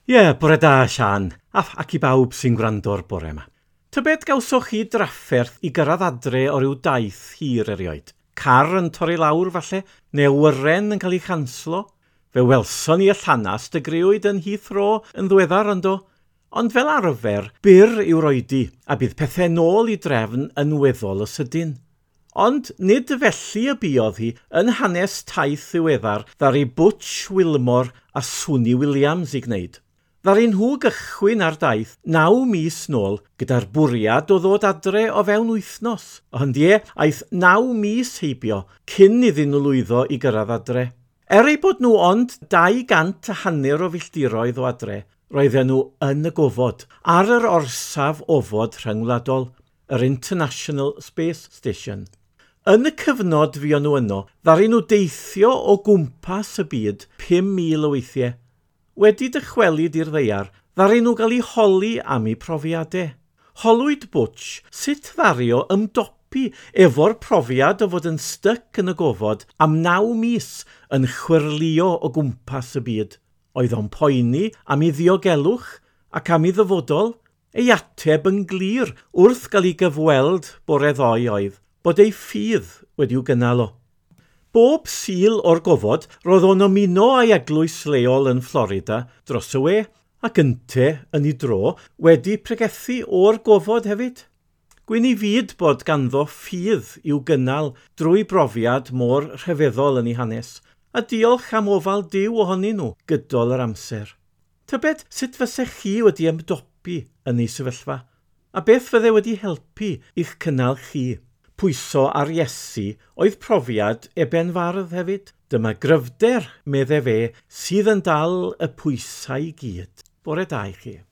Ie, bore da, Sian, a ac i bawb sy'n gwrando'r bore yma. Tybed gawsoch chi drafferth i gyrraedd adre o ryw daith hir erioed? Car yn torri lawr, falle, neu awyren yn cael ei chanslo? Fe welson ni y llanast y grëwyd yn Heathrow yn ddiweddar, yndo? Ond fel arfer, byr yw'r oedi, a bydd pethau nôl i drefn yn weddol o sydyn. Ond nid felly y buodd hi yn hanes taith ddiweddar ddaru Butch Wilmore a Suni Williams i gwneud. Ddaru nhw gychwyn ar daith 9 mis nôl gyda'r bwriad o ddod adre o fewn wythnos. Ond ie, aeth 9 mis heibio cyn iddyn nhw lwyddo i gyrraedd adre. Er eu bod nhw ond 250 o filltiroedd o adre, roedden nhw yn y gofod, ar yr orsaf ofod rhyngwladol, yr International Space Station. Yn y cyfnod fuon nhw yno, ddaru nhw deithio o gwmpas y byd 5,000 o weithiau. Wedi dychwelyd i'r ddaear, ddaru nhw gael eu holi am eu profiadau. Holwyd Butch sut ddaru o ymdopi efo'r profiad o fod yn styc yn y gofod am 9 mis yn chwyrlïo o gwmpas y byd. Oedd o'n poeni am ei ddiogelwch ac am ei ddyfodol? Ei ateb yn glir wrth gael ei gyfweld bore ddoe oedd bod ei ffydd wedi'w gynnal o. Bob Sul o'r gofod, roedd o'n ymuno â'i eglwys leol yn Florida dros y we, ac ynte, yn ei dro, wedi pregethu o'r gofod hefyd. Gwyn i fyd bod ganddo ffydd i'w gynnal drwy brofiad mor rhyfeddol yn ei hanes, a diolch am ofal Duw ohonyn nhw gydol yr amser. Tybed sut fysech chi wedi ymdopi yn ei sefyllfa, a beth fydde wedi helpu i'ch cynnal chi? Pwyso ar Iesu oedd profiad Eben Fardd hefyd. Dyma gryfder, medde fe, sydd yn dal y pwysau i gyd. Bore da i chi.